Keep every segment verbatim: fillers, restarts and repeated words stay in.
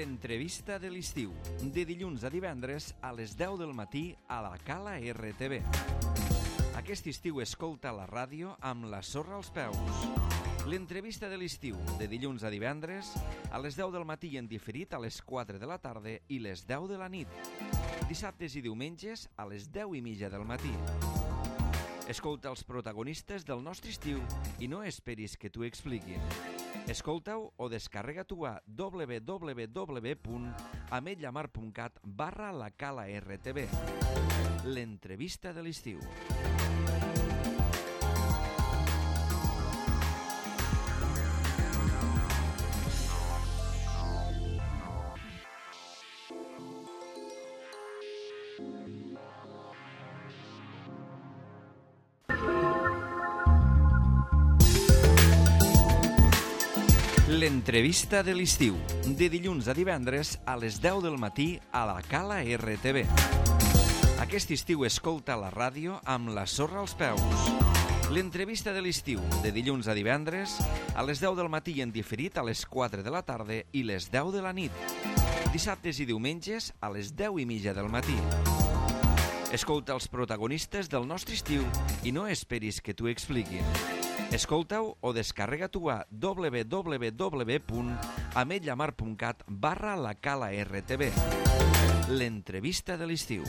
L'entrevista de l'estiu, de dilluns a divendres a les deu del matí a la Cala R T V. Aquest estiu escolta la ràdio amb la sorra als peus. L'entrevista de l'estiu, de dilluns a divendres a les deu del matí i en diferit a les quatre de la tarda i les deu de la nit. Dissabtes i diumenges a les deu i mitja del matí. Escolta els protagonistes del nostre estiu i no esperis que t'ho expliquin. Escolta-ho o descarrega-t'ho a w w w punt ametlllamar punt cat barra la Cala R T V. L'entrevista de l'estiu. L'entrevista de l'estiu, de dilluns a divendres a les deu del matí a la Cala R T V. Aquest estiu escolta la ràdio amb la sorra als peus. L'entrevista de l'estiu, de dilluns a divendres a les deu del matí i en diferit a les quatre de la tarda i les deu de la nit. Dissabtes i diumenges a les deu i mitja del matí. Escolta els protagonistes del nostre estiu i no esperis que t'ho expliquin. Escolta-ho o descarrega-t'ho a w w w punt ametlllamar punt cat barra la Cala R T V. L'entrevista de l'estiu.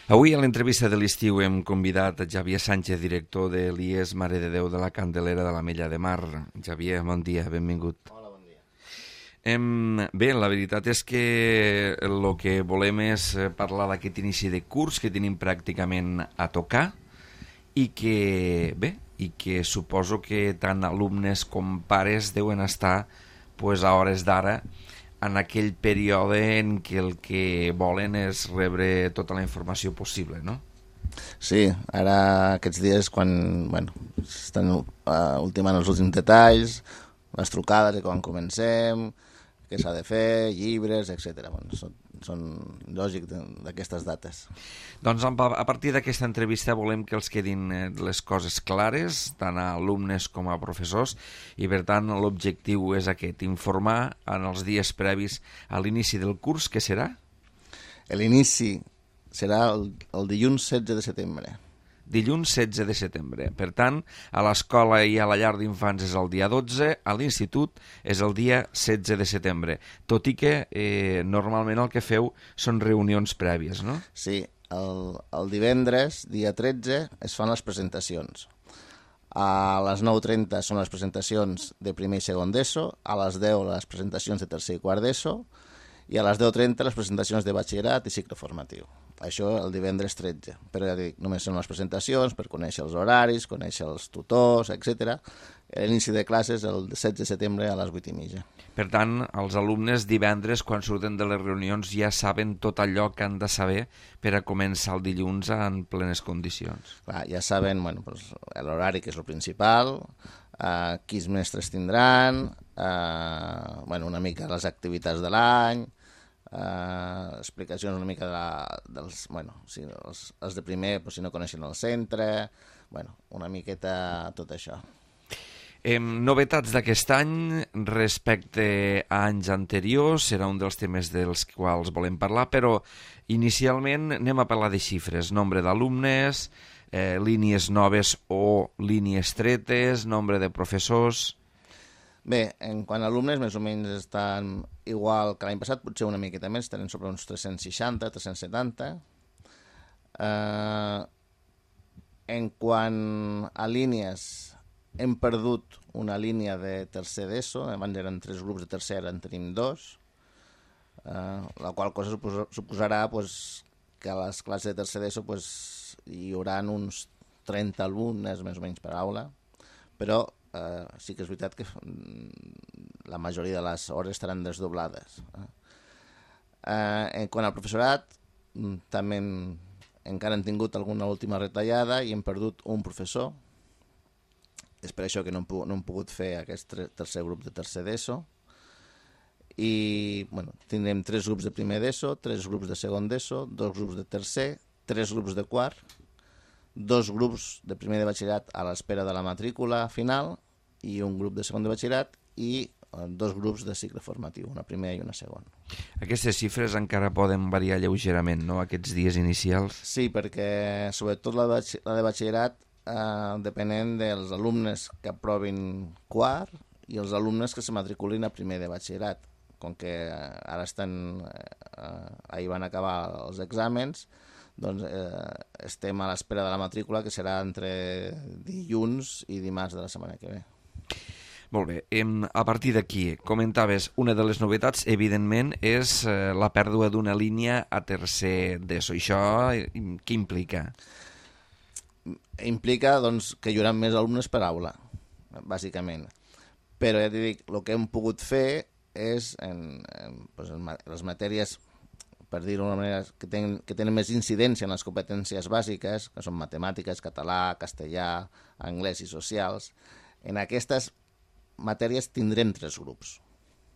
Avui a l'entrevista de l'estiu hem convidat a Xavier Sánchez, director de l'I E S Mare de Déu de la Candelera de l'Ametlla de Mar. Xavier, bon dia, benvingut. Hola, bon dia. Em, bé, la veritat és que el que volem és parlar d'aquest inici de curs que tenim pràcticament a tocar i que, bé, i que suposo que tant alumnes com pares deuen estar pues, a hores d'ara en aquell període en què el que volen és rebre tota la informació possible, no? Sí, ara aquests dies quan bueno, estan uh, ultimant els últims detalls, les trucades de quan comencem, què s'ha de fer, llibres, etcètera. Bueno, són, són lògic d'aquestes dates. Doncs a partir d'aquesta entrevista volem que els quedin les coses clares, tant a alumnes com a professors, i per tant l'objectiu és aquest, informar en els dies previs a l'inici del curs, què serà? L'inici serà el, el dilluns setze de setembre. Dilluns setze de setembre. Per tant, a l'escola i a la llar d'infants és el dia dotze, a l'institut és el dia setze de setembre, tot i que eh, normalment el que feu són reunions prèvies, no? Sí, el, el divendres, dia tretze, es fan les presentacions. A les nou trenta són les presentacions de primer i segon d'ESO, a les deu les presentacions de tercer i quart d'ESO, i a les deu trenta les presentacions de batxillerat i cicle formatiu. Això el divendres tretze, però ja dic, només són les presentacions per conèixer els horaris, conèixer els tutors, etcètera. L'inici de classes el setze de setembre a les vuit i mitja. Per tant, els alumnes divendres, quan surten de les reunions, ja saben tot allò que han de saber per a començar el dilluns en plenes condicions. Clar, ja saben bueno, pues, l'horari, que és el principal, eh, quins mestres tindran, eh, bueno, una mica les activitats de l'any, Uh, explicacions una mica de la, dels, bueno, si els, els de primer pues, si no coneixen el centre, bueno, una miqueta tot això. Eh, novetats d'aquest any respecte a anys anteriors, serà un dels temes dels quals volem parlar, però inicialment anem a parlar de xifres, nombre d'alumnes, eh, línies noves o línies tretes, nombre de professors. Bé, en quant a alumnes, més o menys estan igual que l'any passat, potser una miqueta més, tenen sobre uns tres-cents seixanta, tres-cents setanta. Eh, en quant a línies, hem perdut una línia de tercer d'ESO, abans eren tres grups de tercer, ara en tenim dos, eh, la qual cosa suposarà pues, que a les classes de tercer d'ESO pues, hi haurà uns trenta alumnes més o menys per aula, però Uh, sí que és veritat que la majoria de les hores estaran desdoblades. Uh, en quant al professorat, també hem, encara hem tingut alguna última retallada i hem perdut un professor. És per això que no hem, no hem pogut fer aquest tercer grup de tercer d'ESO. I bueno, tindrem tres grups de primer d'ESO, tres grups de segon d'ESO, dos grups de tercer, tres grups de quart dos grups de primer de batxillerat a l'espera de la matrícula final i un grup de segon de batxillerat i dos grups de cicle formatiu, una primera i una segona. Aquestes xifres encara poden variar lleugerament, no?, aquests dies inicials? Sí, perquè sobretot la de, batx la de batxillerat eh, depenent dels alumnes que aprovin quart i els alumnes que se matriculin a primer de batxillerat. Com que ara estan, eh, ahir van acabar els exàmens, doncs eh, estem a l'espera de la matrícula, que serà entre dilluns i dimarts de la setmana que ve. Molt bé, a partir d'aquí, comentaves, una de les novetats, evidentment, és la pèrdua d'una línia a tercer d'ESO. Això què implica? Implica doncs, que hi haurà més alumnes per aula, bàsicament. Però ja t'hi dic, el que hem pogut fer és, en, en, doncs, en les matèries, per dir-ho d'una manera, que tenen, que tenen més incidència en les competències bàsiques, que són matemàtiques, català, castellà, anglès i socials, en aquestes matèries tindrem tres grups.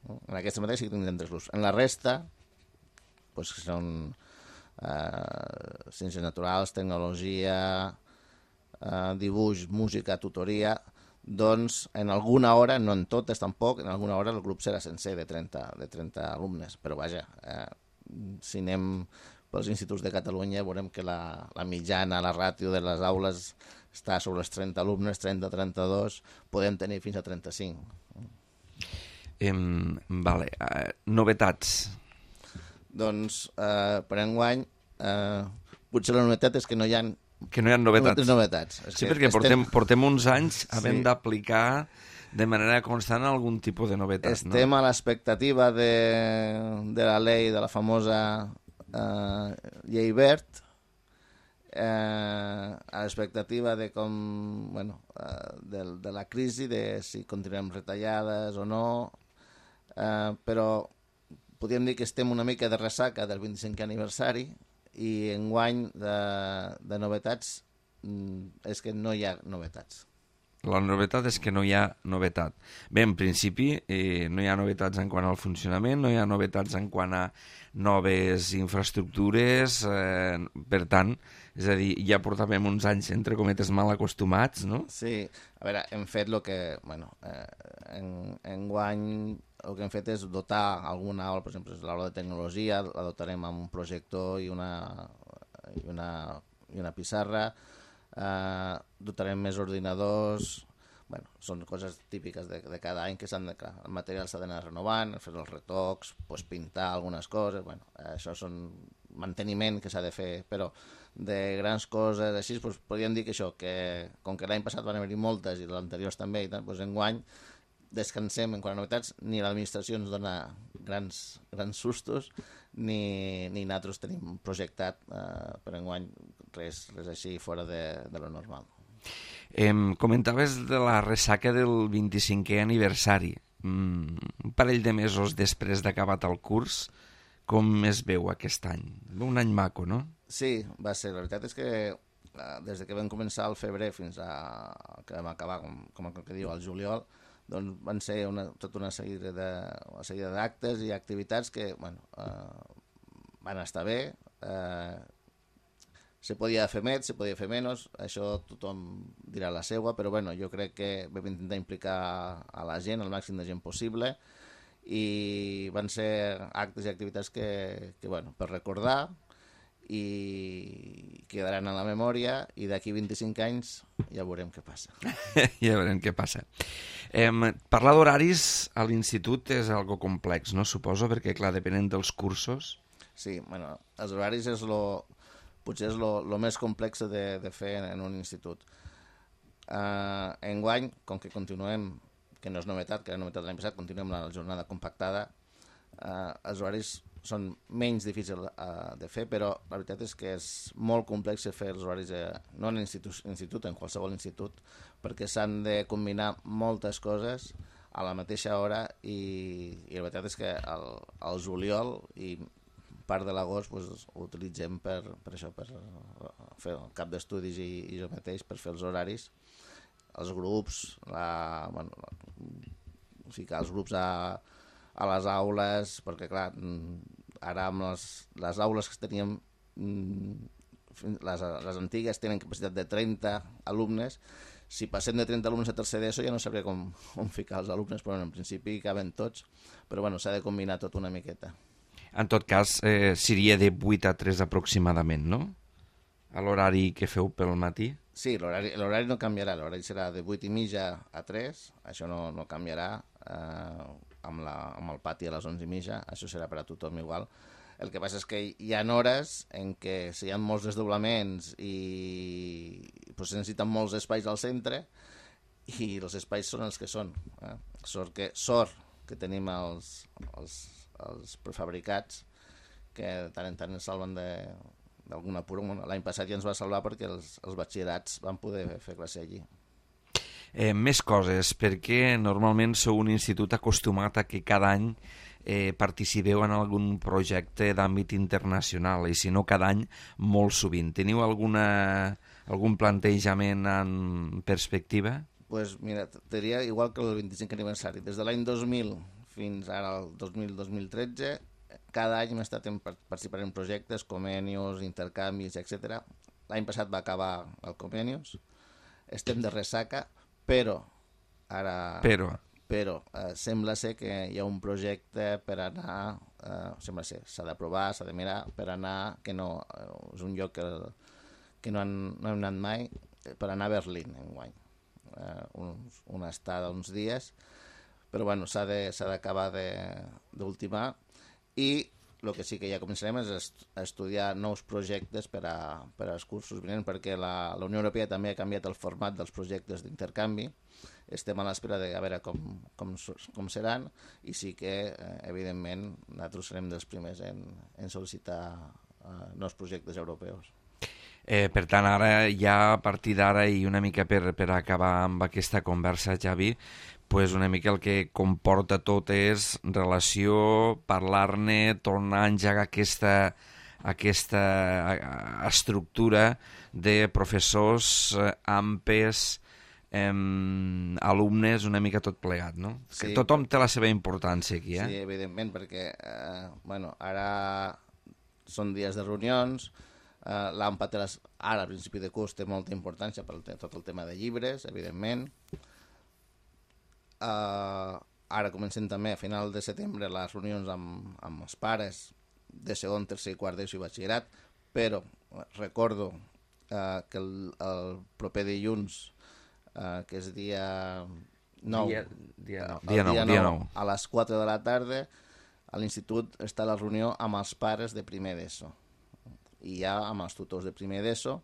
En aquestes matèries sí que tindrem tres grups. En la resta, doncs, que són eh, ciències naturals, tecnologia, eh, dibuix, música, tutoria, doncs en alguna hora, no en totes tampoc, en alguna hora el grup serà sencer de trenta, de trenta alumnes. Però vaja, eh, si anem pels instituts de Catalunya veurem que la, la mitjana, la ràtio de les aules està sobre els trenta alumnes, trenta a trenta-dos, podem tenir fins a trenta-cinc. Eh, vale. Uh, novetats? Doncs, eh, per enguany, eh, potser la novetat és que no hi ha que no hi ha novetats. novetats. És sí, que perquè estem... portem, portem uns anys havent sí. d'aplicar de manera constant algun tipus de novetat. Estem no? a l'expectativa de, de la llei, de la famosa eh, llei verd, eh, a l'expectativa de com, bueno, eh, de, de la crisi, de si continuem retallades o no, eh, però podríem dir que estem una mica de ressaca del vint-i-cinquè aniversari i enguany de, de novetats és que no hi ha novetats. La novetat és que no hi ha novetat. Bé, en principi, eh, no hi ha novetats en quant al funcionament, no hi ha novetats en quant a noves infraestructures, eh, per tant, és a dir, ja portàvem uns anys, entre cometes, mal acostumats, no? Sí, a veure, hem fet el que, bueno, eh, en, en guany el que hem fet és dotar alguna aula, per exemple, l'aula de tecnologia, la dotarem amb un projector i una, i una, i una pissarra, eh, dotarem més ordinadors. Bueno, són coses típiques de, de cada any que s'han de... El material s'ha d'anar renovant, fer els retocs, pues, pintar algunes coses, bueno, això són manteniment que s'ha de fer, però de grans coses així, pues, podríem dir que això, que com que l'any passat van haver-hi moltes i l'anteriors també, i tant, pues, enguany descansem en quant a novetats, ni l'administració ens dona grans, grans sustos, ni, ni nosaltres tenim projectat eh, per enguany res, res així fora de, de lo normal. Eh, comentaves de la ressaca del vint-i-cinquè aniversari. Mm, un parell de mesos després d'acabat el curs, com es veu aquest any? Un any maco, no? Sí, va ser. La veritat és que eh, des que vam començar al febrer fins a que vam acabar, com, com que diu, al juliol, doncs van ser una, tota una sèrie de, una sèrie d'actes i activitats que, bueno, eh, van estar bé. Eh, se podia fer més, se podia fer menys, això tothom dirà la seva, però bueno, jo crec que vam intentar implicar a la gent, el màxim de gent possible, i van ser actes i activitats que, que bueno, per recordar i quedaran a la memòria, i d'aquí vint-i-cinc anys ja veurem què passa. Ja veurem què passa. Eh, parlar d'horaris a l'institut és algo complex, no? Suposo, perquè clar, depenent dels cursos. Sí, bueno, els horaris és lo, potser és el més complex de, de fer en, en un institut. Uh, enguany, com que continuem, que no és novetat, que era novetat de l'any passat, continuem la jornada compactada, uh, els horaris són menys difícils uh, de fer, però la veritat és que és molt complex fer els horaris, de, no en l'institut, institut, en qualsevol institut, perquè s'han de combinar moltes coses a la mateixa hora i, i la veritat és que el, el juliol i part de l'agost pues, ho utilitzem per, per això, per fer el cap d'estudis i, i jo mateix per fer els horaris, els grups, la, bueno, la, ficar els grups a, a les aules, perquè clar, ara amb les, les aules que teníem les, les antigues tenen capacitat de trenta alumnes. Si passem de trenta alumnes a tercer d'ESO ja no sabria com, com ficar els alumnes, però en principi caben tots, però bueno, s'ha de combinar tot una miqueta. En tot cas, eh, seria de vuit a tres aproximadament, no? A l'horari que feu pel matí? Sí, l'horari no canviarà, l'horari serà de vuit i mitja a tres, això no, no canviarà, eh, amb, la, amb el pati a les onze i mitja, això serà per a tothom igual. El que passa és que hi ha hores en què si hi ha molts desdoblaments i pues, se necessiten molts espais al centre i els espais són els que són. Eh? Sort, que, sort que tenim els, els, els prefabricats que de tant en tant ens salven d'alguna apura. L'any passat ja ens va salvar perquè els, els batxillerats van poder fer classe allí. Eh, més coses, perquè normalment sou un institut acostumat a que cada any eh, participeu en algun projecte d'àmbit internacional, i si no cada any, molt sovint. Teniu alguna, algun plantejament en perspectiva? Pues mira, te diria igual que el vint-i-cinquè aniversari. Des de l'any dos mil fins ara el dos mil dos mil tretze, cada any hem estat en, participant en projectes, convenios, intercanvis, etcètera. L'any passat va acabar el convenios, estem de ressaca, però ara... Però... Però eh, sembla ser que hi ha un projecte per anar, eh, sembla ser, s'ha d'aprovar, s'ha de mirar, per anar, que no, eh, és un lloc que, que no, han, no hem anat mai, per anar a Berlín enguany. Eh, uns, una estada uns dies, però bueno, s'ha d'acabar d'ultimar, i el que sí que ja començarem és est a estudiar nous projectes per, a, per als cursos vinents, perquè la, la Unió Europea també ha canviat el format dels projectes d'intercanvi. Estem a l'espera de a veure com, com, com seran, i sí que, eh, evidentment, nosaltres serem dels primers en, en sol·licitar eh, nous projectes europeus. Eh, per tant, ara ja a partir d'ara, i una mica per, per acabar amb aquesta conversa, Javi, pues una mica el que comporta tot és relació, parlar-ne, tornar a engegar aquesta, aquesta estructura de professors, eh, ampes, eh, alumnes, una mica tot plegat, no? Sí, que tothom té la seva importància aquí, eh? Sí, evidentment, perquè eh, bueno, ara són dies de reunions, eh, l'AMPA té les, ara al principi de curs té molta importància per tot el tema de llibres, evidentment. Uh, ara comencem també a final de setembre les reunions amb, amb els pares de segon, tercer i quart d'ESO i batxillerat, però recordo uh, que el, el proper dilluns, uh, que és dia nou, dia, dia, no, dia, nou, dia, dia nou, nou, a les quatre de la tarda, a l'institut està la reunió amb els pares de primer d'ESO i ja amb els tutors de primer d'ESO,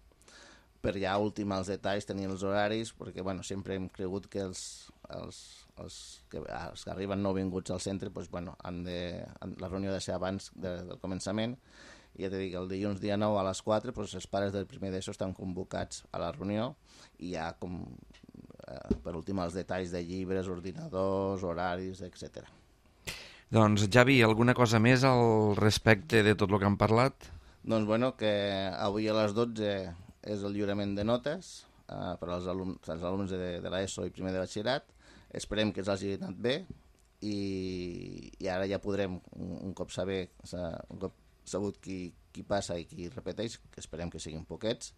per ja ultimar els detalls, tenir els horaris, perquè bueno, sempre hem cregut que els, els, els, que, els que arriben nouvinguts al centre, doncs, bueno, han de, han, la reunió ha de ser abans de, del començament, i ja t'he dit que el dilluns dia nou a les quatre doncs, els pares del primer d'ESO estan convocats a la reunió, i ja com, eh, per ultimar els detalls de llibres, ordinadors, horaris, etcètera. Doncs Javi, alguna cosa més al respecte de tot el que han parlat? Doncs bueno, que avui a les dotze és el lliurament de notes eh, per als alumnes, als alumnes de, de l'ESO i primer de batxillerat. Esperem que els hagi anat bé, i, i ara ja podrem, un, un cop saber, un cop sabut qui, qui passa i qui repeteix, que esperem que siguin poquets,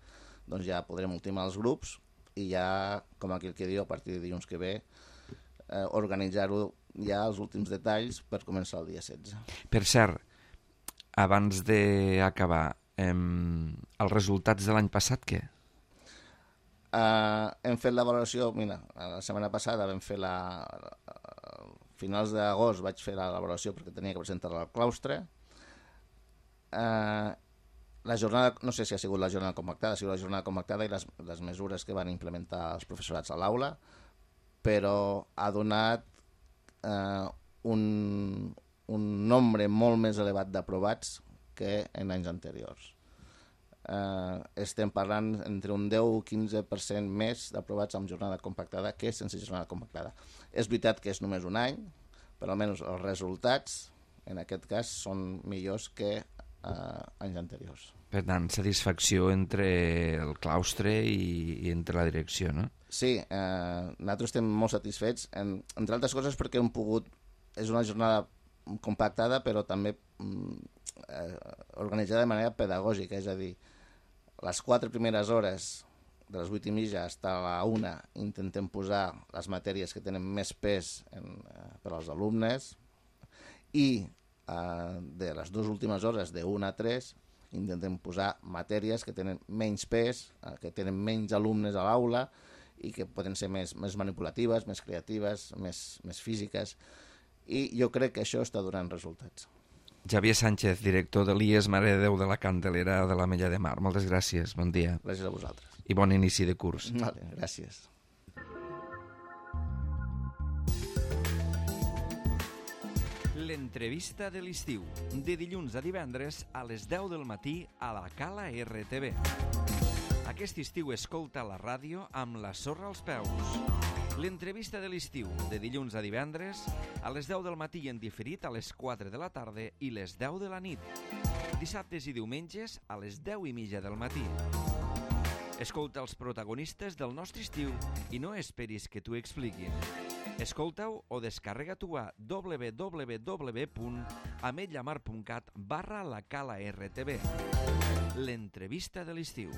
doncs ja podrem ultimar els grups i ja, com aquell que diu, a partir de dilluns que ve, eh, organitzar-ho ja els últims detalls per començar el dia setze. Per cert, abans d'acabar, eh, els resultats de l'any passat, què? Uh, hem fet la valoració, mira, la setmana passada vam fer la... A finals d'agost vaig fer la valoració perquè tenia que presentar-la al claustre. Uh, la jornada, no sé si ha sigut la jornada compactada, ha sigut la jornada compactada i les, les mesures que van implementar els professorats a l'aula, però ha donat uh, un, un nombre molt més elevat d'aprovats que en anys anteriors. Uh, estem parlant entre un deu o quinze per cent més d'aprovats amb jornada compactada que sense jornada compactada. És veritat que és només un any, però almenys els resultats en aquest cas són millors que uh, anys anteriors. Per tant, satisfacció entre el claustre i, i entre la direcció, no? Sí, eh, nosaltres estem molt satisfets, en, entre altres coses perquè hem pogut, és una jornada compactada però també mm, eh, organitzada de manera pedagògica, és a dir, les quatre primeres hores, de les vuit i mitja fins a la una, intentem posar les matèries que tenen més pes en, eh, per als alumnes, i eh, de les dues últimes hores, de una a tres, intentem posar matèries que tenen menys pes, eh, que tenen menys alumnes a l'aula i que poden ser més, més manipulatives, més creatives, més, més físiques, i jo crec que això està donant resultats. Xavier Sánchez, director de l'I E S Mare de Déu de la Candelera de l'Ametlla de Mar. Moltes gràcies, bon dia. Gràcies a vosaltres. I bon inici de curs. Vale, gràcies. L'entrevista de l'estiu, de dilluns a divendres a les deu del matí a la Cala R T V. Aquest estiu escolta la ràdio amb la sorra als peus. L'entrevista de l'estiu, de dilluns a divendres, a les deu del matí en diferit a les quatre de la tarda i les deu de la nit. Dissabtes i diumenges a les deu i mitja del matí. Escolta els protagonistes del nostre estiu i no esperis que t'ho expliquin. Escolta-ho o descarrega-t'ho a w w w punt ametllamar punt cat barra la cala R T V. L'entrevista de l'estiu.